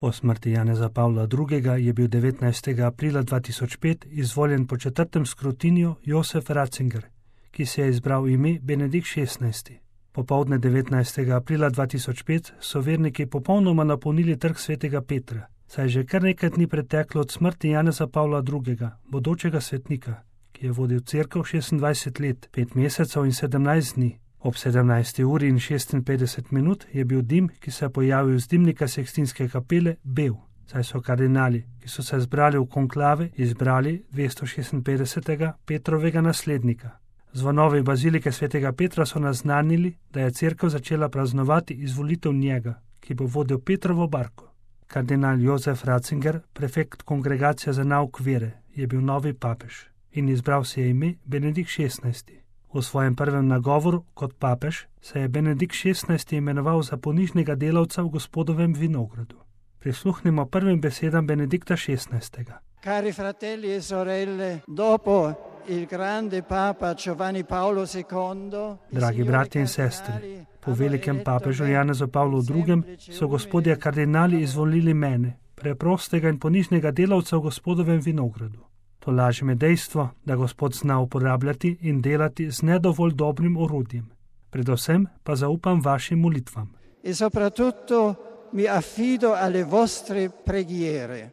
Po smrti Janeza Pavla II. Je bil 19. aprila 2005 izvoljen po 4. skrutiniju Josef Ratzinger, ki si je izbral ime Benedikt XVI. Popoldne 19. aprila 2005 so verniki popolnoma napolnili trg svetega Petra, saj je že kar nekaj dni preteklo od smrti Janeza Pavla II., bodočega svetnika, ki je vodil cerkev 26 let, 5 mesecev in 17 dni. Ob 17. uri in 56 minut je bil dim, ki se je pojavil z dimnika Sikstinske kapele, bel, saj so kardinali, ki so se zbrali v konklave, izbrali 256. Petrovega naslednika. Zvonovi bazilike svetega Petra so naznanili, da je cerkev začela praznovati izvolitev njega, ki bo vodil Petrovo barko. Kardinal Josef Ratzinger, prefekt Kongregacije za nauk vere, je bil novi papež in izbral si je ime Benedikt XVI. V svojem prvem nagovoru kot papež se je Benedikt XVI. Imenoval za ponižnega delavca v Gospodovem vinogradu. Prisluhnimo prvim besedam Benedikta XVI. Cari fratelli e sorelle, dopo il grande papa Giovanni Paolo II, dragi bratje in sestre, po velikem papežu Janezu Pavlu II. So gospodje kardinali izvolili mene, preprostega in ponižnega delavca v Gospodovem vinogradu. To laži me dejstvo, da Gospod zna uporabljati in delati z nedovolj dobrim orodjem. Predvsem pa zaupam vašim molitvam. E soprattutto mi affido alle vostre preghiere.